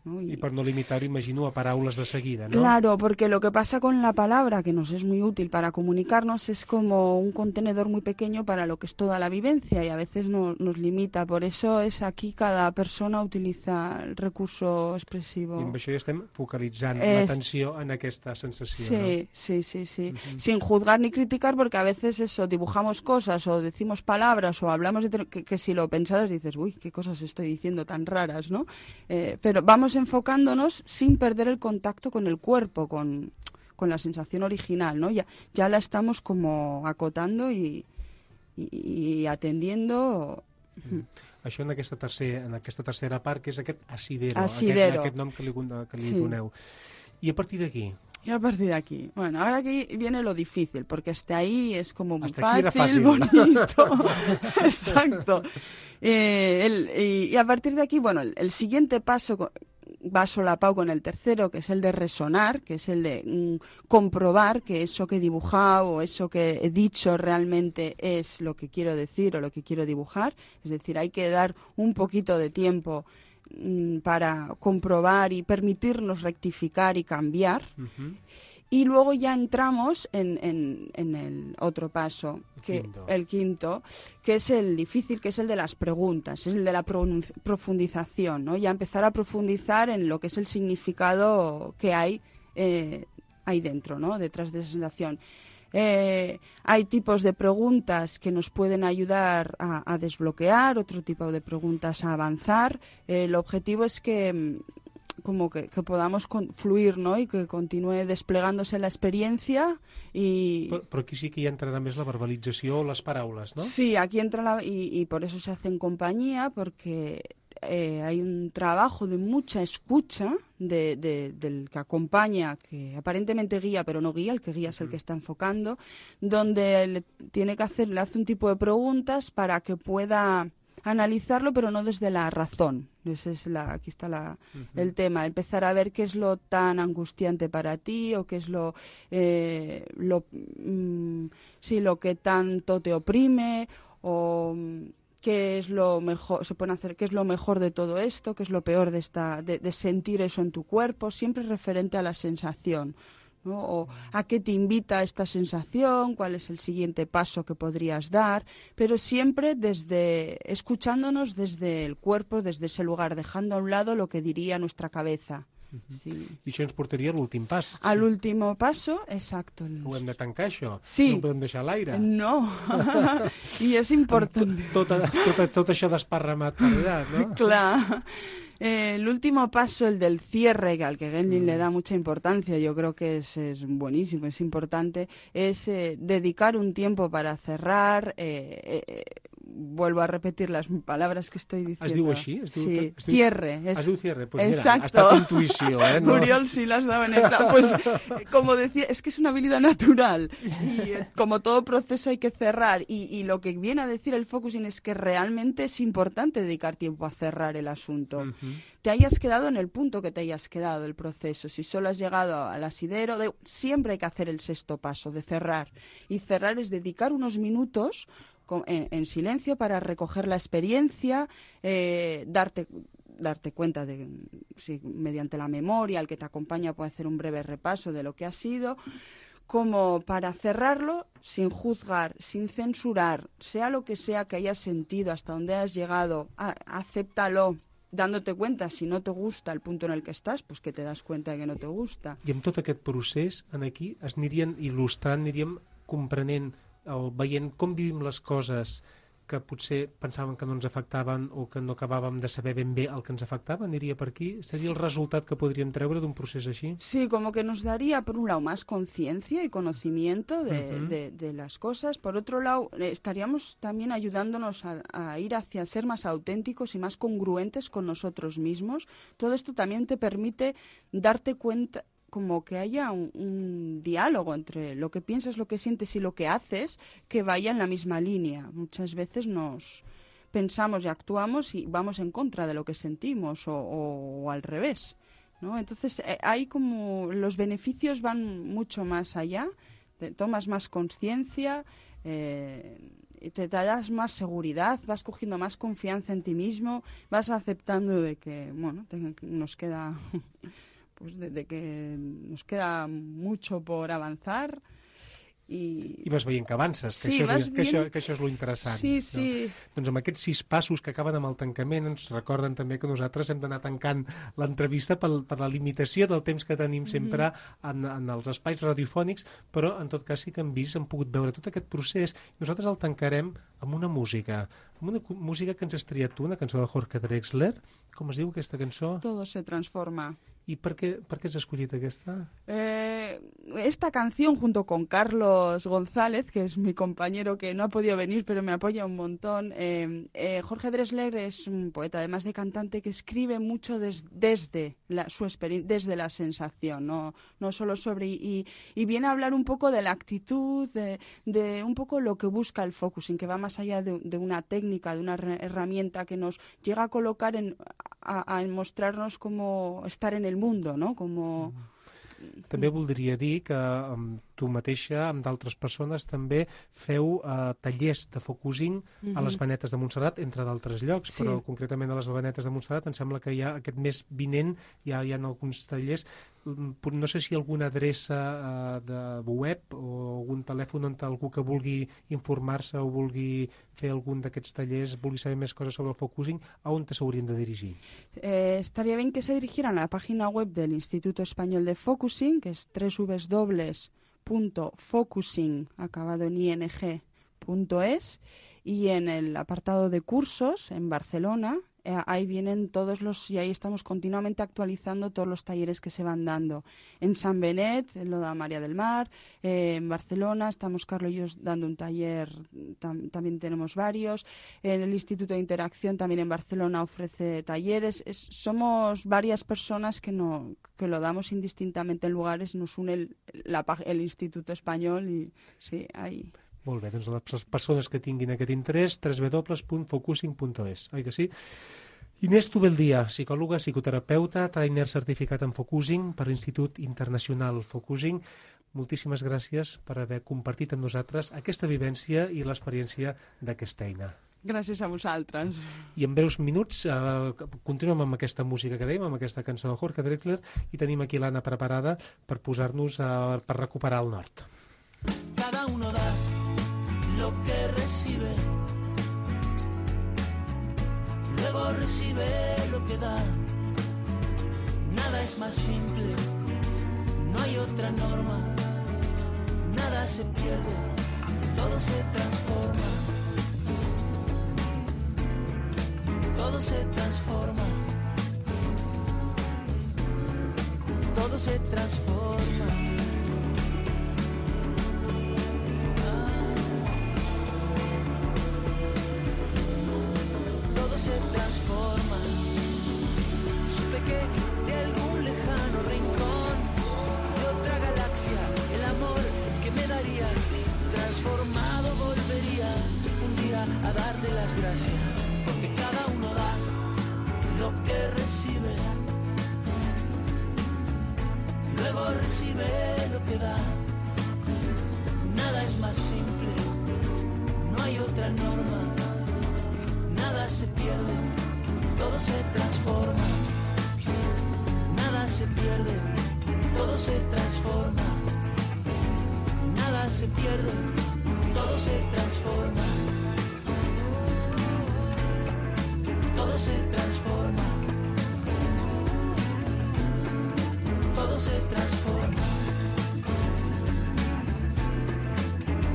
¿no? Y, y por no limitar, imagino, a paraules de seguida, ¿no? Claro, porque lo que pasa con la palabra, que nos es muy útil para comunicarnos, es como un contenedor muy pequeño para lo que es toda la vivencia y a veces no, nos limita. Por eso es aquí cada persona utiliza el recurso expresivo. I amb això ja estem focalitzant es... l'atenció en aquesta sensació, sí, ¿no? Sí, sí, sí. Uh-huh. Sin juzgar ni criticar, porque a veces eso, dibujamos cosas o decimos palabras o hablamos de... que, que si lo pensaras dices, uy, qué cosas estoy diciendo tan raras, ¿no? Eh, pero vamos enfocándonos sin perder el contacto con el cuerpo, con, con la sensación original, ¿no? Ya, ya la estamos como acotando y, y, y atendiendo. Mm. Això en aquesta, tercer, en aquesta tercera part, que és aquest asidero, asidero. Aquest, aquest nom que li, que li sí. doneu. I a partir d'aquí? Y a partir de aquí, bueno, ahora aquí viene lo difícil, porque hasta ahí es como muy fácil, fácil, bonito, exacto. Eh, el, y, y a partir de aquí, bueno, el, el siguiente paso va solapado con el tercero, que es el de resonar, que es el de mm, comprobar que eso que he dibujado o eso que he dicho realmente es lo que quiero decir o lo que quiero dibujar. Es decir, hay que dar un poquito de tiempo para comprobar y permitirnos rectificar y cambiar. Uh-huh. Y luego ya entramos en, en, en el otro paso, que, quinto. el quinto, que es el difícil, que es el de las preguntas, es el de la profundización, ¿no? Ya empezar a profundizar en lo que es el significado que hay eh, ahí dentro, ¿no? Detrás de esa sensación. Eh, hay tipos de preguntas que nos pueden ayudar a, a desbloquear, otro tipo de preguntas a avanzar. Eh, el objetivo es que como que, que podamos con, fluir, ¿no? Y que continúe desplegándose la experiencia y... Però, però aquí sí que ja entrarà més la verbalització o les paraules, ¿no? Sí, aquí entra la... Y, y por eso se hace en compañía, porque... Eh, hay un trabajo de mucha escucha de, de, del que acompaña, que aparentemente guía, pero no guía, el que guía es el que está enfocando, donde le tiene que hacer, le hace un tipo de preguntas para que pueda analizarlo, pero no desde la razón. Ese es la, aquí está la, uh-huh. el tema, empezar a ver qué es lo tan angustiante para ti o qué es lo, eh, lo, mm, sí, lo que tanto te oprime o... qué es lo mejor, se pueden hacer, qué es lo mejor de todo esto, qué es lo peor de, esta, de, de sentir eso en tu cuerpo, siempre referente a la sensación, ¿no? O a qué te invita esta sensación, cuál es el siguiente paso que podrías dar, pero siempre desde escuchándonos desde el cuerpo, desde ese lugar, dejando a un lado lo que diría nuestra cabeza. Uh-huh. Sí. I això ens portaria a l'últim pas. A sí. l'último paso, exacto. El... Ho hem de tancar, això? Sí. No podem deixar l'aire? No. I és important. Tot, tot, tot, tot això desparramat per allà, no? Clar. Eh, el último paso, el del cierre, al que Genlin mm. le da mucha importancia, yo creo que es, es buenísimo, es importante, es eh, dedicar un tiempo para cerrar, eh, eh, vuelvo a repetir las palabras que estoy diciendo. ¿Es diu així? Es diu, sí, es diu... cierre. Es... Es diu cierre, pues exacto. Mira, ha estat intuïció, eh? No... Muriel sí las daba en el... Pues, como decía, es que es una habilidad natural y eh, como todo proceso hay que cerrar y, y lo que viene a decir el focusing es que realmente es importante dedicar tiempo a cerrar el asunto. Uh-huh. Te hayas quedado en el punto que te hayas quedado el proceso, si solo has llegado al asidero, de... siempre hay que hacer el sexto paso, de cerrar. Y cerrar es dedicar unos minutos En, en silencio para recoger la experiencia, eh, darte, darte cuenta de si mediante la memoria, el que te acompaña puede hacer un breve repaso de lo que ha sido, como para cerrarlo sin juzgar, sin censurar, sea lo que sea que hayas sentido, hasta donde has llegado, a, acéptalo, dándote cuenta, si no te gusta el punto en el que estàs, pues que te das cuenta de que no te gusta. I amb tot aquest procés, en aquí, es anirien il·lustrant, aniríem comprenent o veient com vivim les coses que potser pensàvem que no ens afectaven o que no acabàvem de saber ben bé el que ens afectava, aniria per aquí? Seria el resultat que podríem treure d'un procés així? Sí, como que nos daría, por un lado, más conciencia y conocimiento de, uh-huh. de, de las cosas. Por otro lado, estaríamos también ayudándonos a, a ir hacia ser más auténticos y más congruentes con nosotros mismos. Todo esto también te permite darte cuenta, como que haya un, un diálogo entre lo que piensas, lo que sientes y lo que haces, que vaya en la misma línea. Muchas veces nos pensamos y actuamos y vamos en contra de lo que sentimos o, o, o al revés, ¿no? Entonces eh, hay como los beneficios van mucho más allá, te tomas más conciencia, eh, te, te das más seguridad, vas cogiendo más confianza en ti mismo, vas aceptando de que, bueno, te, nos queda... pues de, de que nos queda mucho por avanzar i... I vas veient que avances, que, sí, això, és, bien... que, això, que això és lo interessant. Sí, sí. No? Doncs amb aquests sis passos que acaben amb el tancament ens recorden també que nosaltres hem d'anar tancant l'entrevista per, per la limitació del temps que tenim sempre mm-hmm. en, en els espais radiofònics, però en tot cas sí que hem vist, hem pogut veure tot aquest procés. Nosaltres el tancarem amb una música, amb una música que ens has triat tu, una cançó de Jorge Drexler. Com es diu aquesta cançó? Todo se transforma. ¿Y por qué, por qué has escogido esta? Eh, esta canción junto con Carlos González, que es mi compañero que no ha podido venir pero me apoya un montón. Eh, eh, Jorge Drexler es un poeta, además de cantante, que escribe mucho des, desde la, su experiencia, desde la sensación, no, no solo sobre... Y, y viene a hablar un poco de la actitud, de, de un poco lo que busca el focusing, que va más allá de, de una técnica, de una herramienta que nos llega a colocar en... A, a mostrarnos cómo estar en el mundo, ¿no? Como... També voldria dir que amb tu mateixa, amb d'altres persones, també feu eh, tallers de focusing uh-huh. a les Venetes de Montserrat, entre d'altres llocs, sí. Però concretament a les Venetes de Montserrat em sembla que hi ha aquest mes vinent, hi ha, hi ha alguns tallers. No sé si hi ha alguna adreça eh, de web o algun telèfon on algú que vulgui informar-se o vulgui fer algun d'aquests tallers, vulgui saber més coses sobre el focusing, a on s'haurien de dirigir? Eh, estaría bien que se dirigieran a la página web del Instituto Español de Focusing, que es doble u doble u doble u punto focusing acabado en ing punto es, y en el apartado de cursos en Barcelona, eh, ahí vienen todos los, y ahí estamos continuamente actualizando todos los talleres que se van dando. En San Benet lo da María del Mar, eh, en Barcelona estamos Carlos y yo dando un taller, tam, también tenemos varios, en el Instituto de Interacción también en Barcelona ofrece talleres. Es, somos varias personas que, no, que lo damos indistintamente en lugares, nos une el, la, el Instituto Español y sí, ahí... Molt bé, doncs les persones que tinguin aquest interès, doble u doble u doble u punt focusing punt es, oi que sí? Inés Tubeldia, psicòloga, psicoterapeuta, trainer certificat en Focusing per l'Institut Internacional Focusing. Moltíssimes gràcies per haver compartit amb nosaltres aquesta vivència i l'experiència d'aquesta eina. Gràcies a vosaltres. I en breus minuts eh, continuem amb aquesta música que dèiem, amb aquesta cançó de Jorge Drexler, i tenim aquí l'Anna preparada per posar-nos, eh, per recuperar el nord. Cada uno da lo que recibe, luego recibe lo que da. Nada es más simple, no hay otra norma. Nada se pierde, todo se transforma. Todo se transforma. Todo se transforma. Todo se transforma. Supe que de algún lejano rincón de otra galaxia el amor que me darías transformado volvería un día a darte las gracias, porque cada uno da lo que recibe, luego recibe lo que da. Nada es más simple, no hay otra norma. Nada se pierde, todo se transforma. Nada se pierde, todo se transforma. Nada se pierde, todo se transforma. Todo se transforma. Todo se transforma.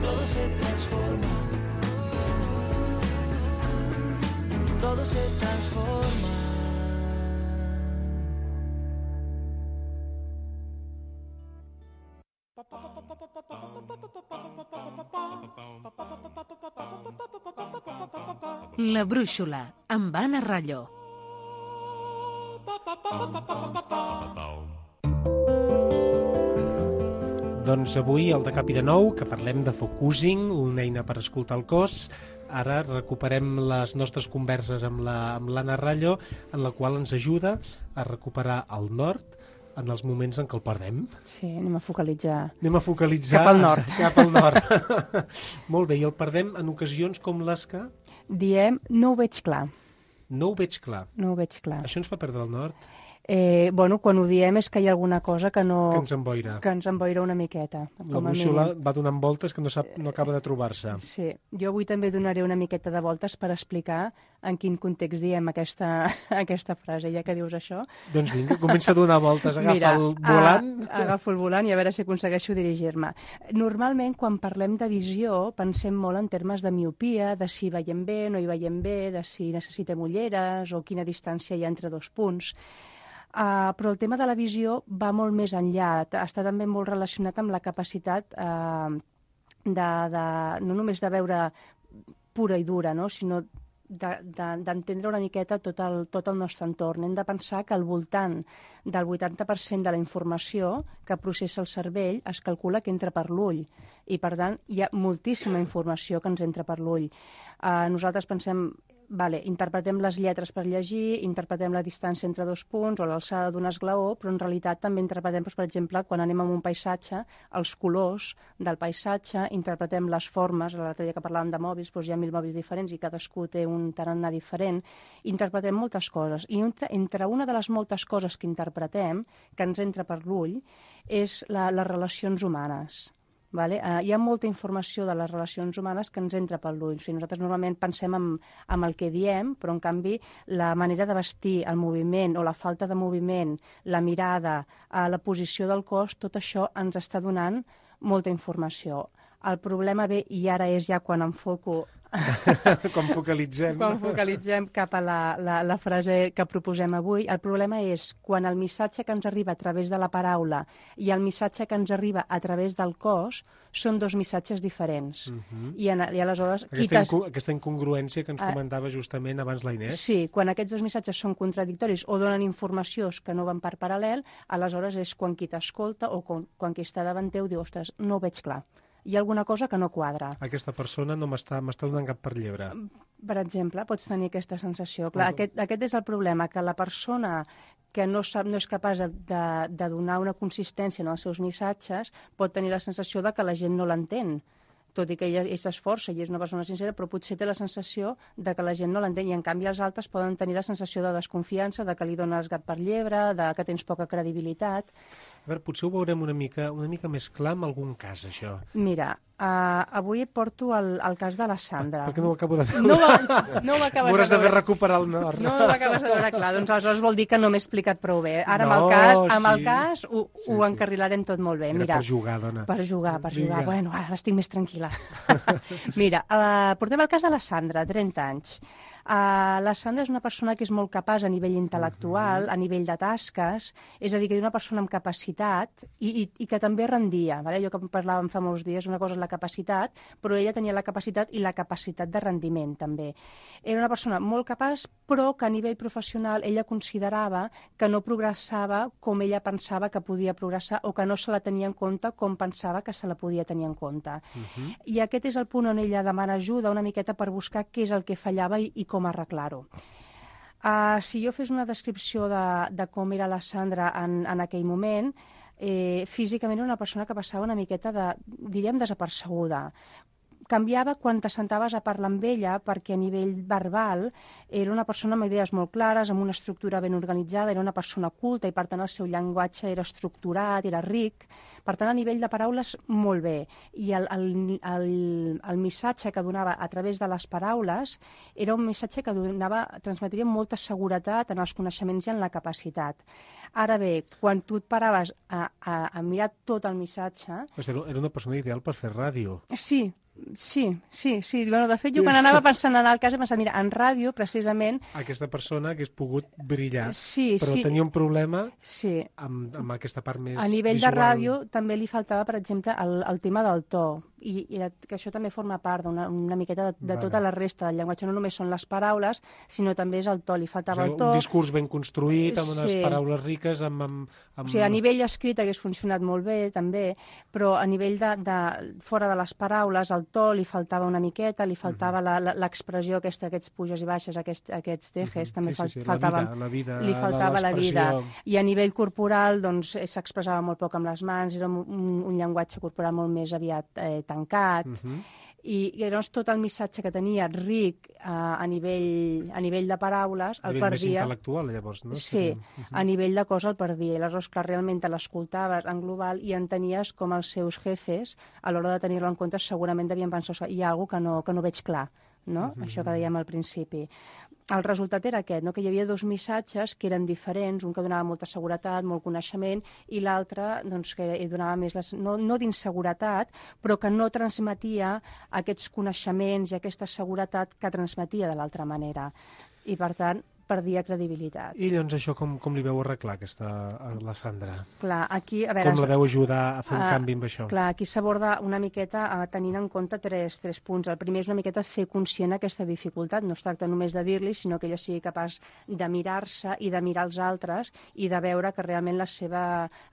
Todo se transforma. Todo se transforma. La brúixola, amb Anna Ralló. Doncs avui al De Cap i de Nou, que parlem de focusing, una eina per escoltar el cos. Ara recuperem les nostres converses amb la, amb l'Anna Ralló, en la qual ens ajuda a recuperar el nord en els moments en què el perdem. Sí, anem a focalitzar. Anem a focalitzar cap al nord. Cap al nord. Molt bé, i el perdem en ocasions com les que... Diem, no ho veig clar. No ho veig clar. No ho veig clar. Això ens fa perdre el nord? Eh, bueno, quan ho diem és que hi ha alguna cosa que no... Que ens emboira. Que ens emboira una miqueta. La brúixola va donant voltes que no, sap, no acaba de trobar-se. Sí, jo avui també donaré una miqueta de voltes per explicar en quin context diem aquesta, aquesta frase, ja que dius això. Doncs vinga, comença a donar voltes, agafa Mira, el volant. A, agafo el volant i a veure si aconsegueixo dirigir-me. Normalment, quan parlem de visió, pensem molt en termes de miopia, de si veiem bé, no hi veiem bé, de si necessitem ulleres o quina distància hi ha entre dos punts. Uh, però el tema de la visió va molt més enllà, està també molt relacionat amb la capacitat uh, de, de, no només de veure pura i dura, no? Sinó d'entendre de, de, una miqueta tot el, tot el nostre entorn. Hem de pensar que al voltant del vuitanta per cent de la informació que processa el cervell es calcula que entra per l'ull i, per tant, hi ha moltíssima informació que ens entra per l'ull. Uh, nosaltres pensem... Vale, interpretem les lletres per llegir, interpretem la distància entre dos punts o l'alçada d'un esglaó, però en realitat també interpretem, doncs, per exemple, quan anem a un paisatge, els colors del paisatge, interpretem les formes, l'altre dia que parlàvem de mòbils, doncs hi ha mil mòbils diferents i cadascú té un tarannà diferent, interpretem moltes coses. I entre, entre una de les moltes coses que interpretem, que ens entra per l'ull, és la, les relacions humanes. Vale? Uh, hi ha molta informació de les relacions humanes que ens entra per l'ull. O sigui, nosaltres normalment pensem en, en el que diem, però en canvi la manera de vestir, el moviment o la falta de moviment, la mirada, uh, la posició del cos, tot això ens està donant molta informació. El problema ve, i ara és ja quan enfoco... quan focalitzem. Quan focalitzem cap a la, la, la frase que proposem avui. El problema és quan el missatge que ens arriba a través de la paraula i el missatge que ens arriba a través del cos són dos missatges diferents. Uh-huh. I, en, i aleshores... Aquesta, inco aquesta incongruència que ens uh, comentava justament abans la Inés. Sí, quan aquests dos missatges són contradictoris o donen informació que no van per paral·lel, aleshores és quan qui t'escolta o quan, quan qui està davant teu diu, ostres, no ho veig clar. Hi ha alguna cosa que no quadra. Aquesta persona no m'està donant cap per llebre. Per exemple, pots tenir aquesta sensació. Clar, aquest, aquest és el problema, que la persona que no, sap, no és capaç de, de donar una consistència en els seus missatges pot tenir la sensació de que la gent no l'entén. tot i que ella s'esforça i és una persona sincera, però potser té la sensació de que la gent no l'entén, i en canvi els altres poden tenir la sensació de desconfiança, de que li dones gat per llebre, de que tens poca credibilitat. A veure, potser ho veurem una mica, una mica més clar en algun cas, això. Mira, uh, avui et porto el, el cas de la Sandra. Per què no ho acabo de veure? No, va, no ho acabes M'hauràs de veure. d'haver recuperat el nord. No ho acabes de veure clar, doncs aleshores vol dir que no m'he explicat prou bé. Ara no, amb el cas, amb sí. el cas ho, sí, ho sí. encarrilarem tot molt bé. Era Mira, per jugar, dona. Per jugar, per Vinga. jugar. Bueno, ara estic més tranquil·la. Mira, uh, portem el cas de la Sandra, trenta anys. Uh, la Sandra és una persona que és molt capaç a nivell intel·lectual, uh-huh. a nivell de tasques, és a dir, que és una persona amb capacitat i, i, i que també rendia. Vale? Jo que parlàvem fa molts dies, una cosa és la capacitat, però ella tenia la capacitat i la capacitat de rendiment també. Era una persona molt capaç, però que a nivell professional ella considerava que no progressava com ella pensava que podia progressar o que no se la tenia en compte com pensava que se la podia tenir en compte. Uh-huh. I aquest és el punt on ella demana ajuda una miqueta per buscar què és el que fallava i, i com arreglar-ho. Uh, si jo fes una descripció de, de com era la Sandra en, en aquell moment, eh, físicament era una persona que passava una miqueta de, diríem, desapercebuda. Canviava quan t'assentaves a parlar amb ella perquè a nivell verbal era una persona amb idees molt clares, amb una estructura ben organitzada, era una persona culta i per tant el seu llenguatge era estructurat, era ric, per tant a nivell de paraules molt bé. I el, el, el, el missatge que donava a través de les paraules era un missatge que donava, transmetria molta seguretat en els coneixements i en la capacitat. Ara bé, quan tu et paraves a, a, a mirar tot el missatge... Era una persona ideal per fer ràdio. Sí, sí, sí, sí. Bueno, de fet, jo quan anava pensant en el cas he pensat, mira, en ràdio, precisament... Aquesta persona hagués pogut brillar, sí, però sí. tenia un problema sí. amb, amb aquesta part més visual. A nivell visual. de ràdio també li faltava, per exemple, el, el tema del to, i, i que això també forma part d'una una miqueta de, de vale. Tota la resta del llenguatge. No només són les paraules, sinó també és el to. Li faltava o sigui, el to. Un discurs ben construït, amb unes sí. paraules riques, amb, amb, amb... O sigui, a nivell escrit hagués funcionat molt bé, també, però a nivell de, de fora de les paraules, el to li faltava una miqueta, li faltava uh-huh. l'expressió aquesta, aquests puges i baixes, aquests, aquests tejes, uh-huh. també sí, sí, sí. faltava, la vida, la vida, li faltava la, la vida. I a nivell corporal, doncs, s'expressava molt poc amb les mans, era un, un llenguatge corporal molt més aviat eh, tancat, uh-huh. I, i llavors tot el missatge que tenia ric eh, a, nivell, a nivell de paraules el perdia... Més intel·lectual, llavors, no? Sí, uh-huh. a nivell de cosa el perdia. I aleshores, clar, realment te l'escoltaves en global i entenies com els seus jefes, a l'hora de tenir-lo en compte, segurament devien pensar hi ha alguna cosa que no, que no veig clar, no? Uh-huh. Això que dèiem al principi. El resultat era aquest, no? Que hi havia dos missatges que eren diferents, un que donava molta seguretat, molt coneixement, i l'altre doncs, que donava més, les, no, no d'inseguretat, però que no transmetia aquests coneixements i aquesta seguretat que transmetia de l'altra manera. I, per tant, perdia credibilitat. I llavors això com, com li veu arreglar, aquesta, a la Sandra? Clar, aquí, a veure, com la veu ajudar a fer un uh, canvi amb això? Clar, aquí s'aborda una miqueta uh, tenint en compte tres, tres punts. El primer és una miqueta fer conscient aquesta dificultat. No es tracta només de dir-li, sinó que ella sigui capaç de mirar-se i de mirar els altres i de veure que realment la seva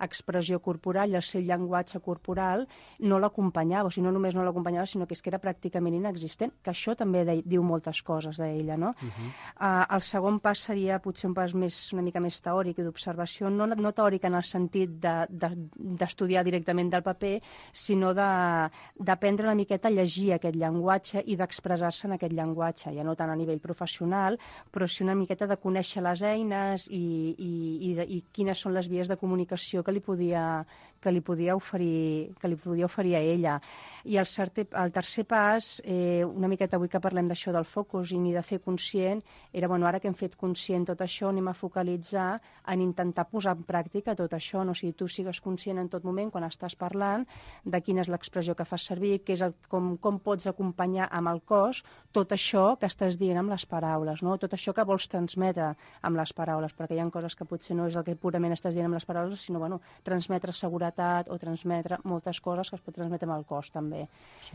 expressió corporal i el seu llenguatge corporal no l'acompanyava, o sigui, no només no l'acompanyava, sinó que és que era pràcticament inexistent, que això també de, diu moltes coses d'ella, no? Uh-huh. uh, el segon pas seria potser un pas més, una mica més teòric i d'observació, no, no teòric en el sentit d'estudiar de, de, directament del paper, sinó d'aprendre una miqueta a llegir aquest llenguatge i d'expressar-se en aquest llenguatge, ja no tant a nivell professional, però sí una miqueta de conèixer les eines i, i, i, de, i quines són les vies de comunicació que li podia, que li podia oferir, que li podia oferir a ella. I el, certe, el tercer pas, eh, una miqueta avui que parlem d'això del focusing i de fer conscient, era, bueno, ara que hem fet conscient tot això, anem a focalitzar en intentar posar en pràctica tot això, no? O sigui, tu sigues conscient en tot moment, quan estàs parlant, de quina és l'expressió que fas servir, que és el, com, com pots acompanyar amb el cos tot això que estàs dient amb les paraules, no? Tot això que vols transmetre amb les paraules, perquè hi ha coses que potser no és el que purament estàs dient amb les paraules, sinó, bueno, transmetre seguretat o transmetre moltes coses que es pot transmetre amb el cos, també.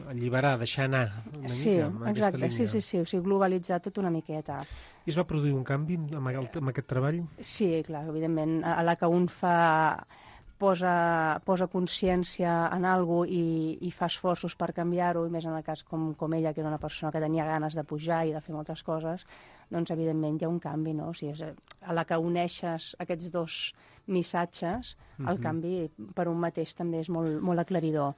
Alliberar, deixar anar una sí, mica amb aquesta línia. Sí, sí, sí, o sigui, globalitzar tot una miqueta. I es va produir un canvi amb, el, amb aquest treball? Sí, clar, evidentment, a la que un fa posa, posa consciència en alguna cosa i, i fa esforços per canviar-ho, i més en el cas com, com ella, que era una persona que tenia ganes de pujar i de fer moltes coses, doncs evidentment hi ha un canvi, no? O sigui, és a la que uneixes aquests dos missatges, el mm-hmm. canvi per un mateix també és molt, molt aclaridor.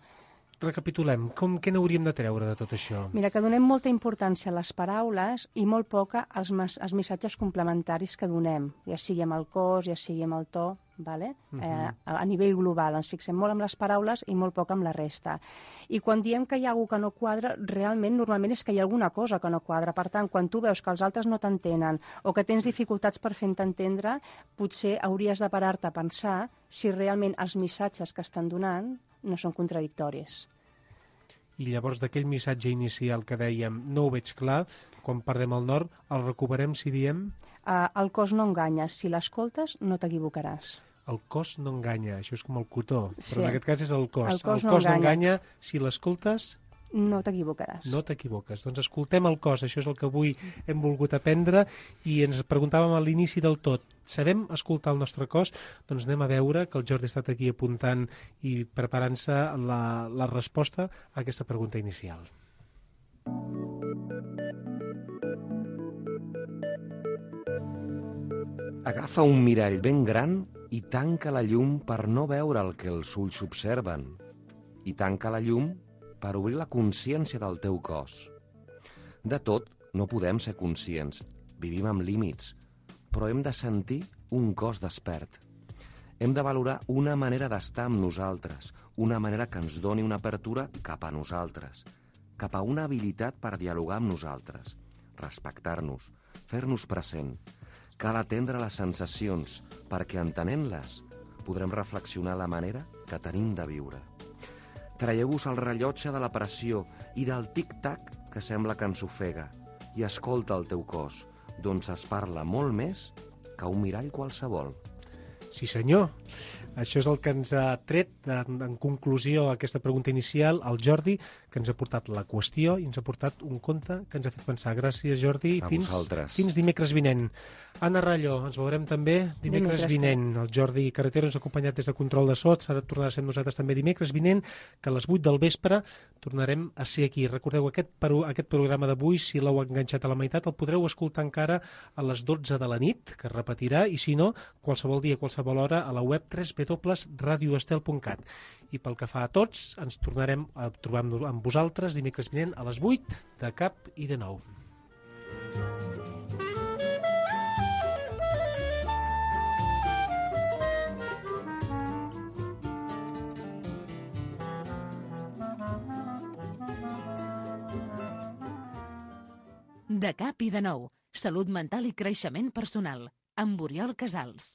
recapitulem, com, què n'hauríem de treure de tot això? Mira, que donem molta importància a les paraules i molt poca als, als missatges complementaris que donem, ja sigui amb el cos, ja sigui amb el to, vale? Uh -huh. eh, a nivell global. Ens fixem molt amb les paraules i molt poc amb la resta. I quan diem que hi ha alguna que no quadra, realment, normalment és que hi ha alguna cosa que no quadra. Per tant, quan tu veus que els altres no t'entenen o que tens dificultats per fer-te entendre, potser hauries de parar-te a pensar si realment els missatges que estan donant no són contradictoris. I llavors d'aquell missatge inicial que dèiem no ho veig clar, quan perdem el nord, el recuperem si diem... Uh, el cos no enganya, si l'escoltes no t'equivocaràs. El cos no enganya, això és com el cotó, sí. Però en aquest cas és el cos. El cos, el no, cos enganya. no enganya, si l'escoltes... No t'equivocaràs. No t'equivoques. Doncs escoltem el cos, això és el que avui hem volgut aprendre i ens preguntàvem a l'inici del tot. Sabem escoltar el nostre cos? Doncs anem a veure que el Jordi ha estat aquí apuntant i preparant-se la, la resposta a aquesta pregunta inicial. Agafa un mirall ben gran i tanca la llum per no veure el que els ulls observen. I tanca la llum per obrir la consciència del teu cos. De tot no podem ser conscients, vivim amb límits, però hem de sentir un cos despert. Hem de valorar una manera d'estar amb nosaltres, una manera que ens doni una apertura cap a nosaltres, cap a una habilitat per dialogar amb nosaltres, respectar-nos, fer-nos present. Cal atendre les sensacions, perquè entenent-les podrem reflexionar la manera que tenim de viure. Traieu-vos el rellotge de la pressió i del tic-tac que sembla que ens ofega i escolta el teu cos, doncs es parla molt més que un mirall qualsevol. Sí, senyor. Això és el que ens ha tret, en, en conclusió, a aquesta pregunta inicial, el Jordi, que ens ha portat la qüestió i ens ha portat un conte que ens ha fet pensar. Gràcies, Jordi. A fins, vosaltres. Fins dimecres vinent. Anna Ralló, ens veurem també dimecres, dimecres vinent. El Jordi Carretero ens ha acompanyat des de Control de So, ara tornarà a ser nosaltres també dimecres vinent, que a les vuit del vespre tornarem a ser aquí. Recordeu, aquest, aquest programa d'avui, si l'heu enganxat a la meitat, el podreu escoltar encara a les dotze de la nit, que es repetirà, i si no, qualsevol dia, qualsevol hora, a la web w w w punt radio estel punt cat. I pel que fa a tots, ens tornarem a trobar amb vosaltres dimecres vinent a les vuit de cap i de nou. De cap i de nou, salut mental i creixement personal, amb Oriol Casals.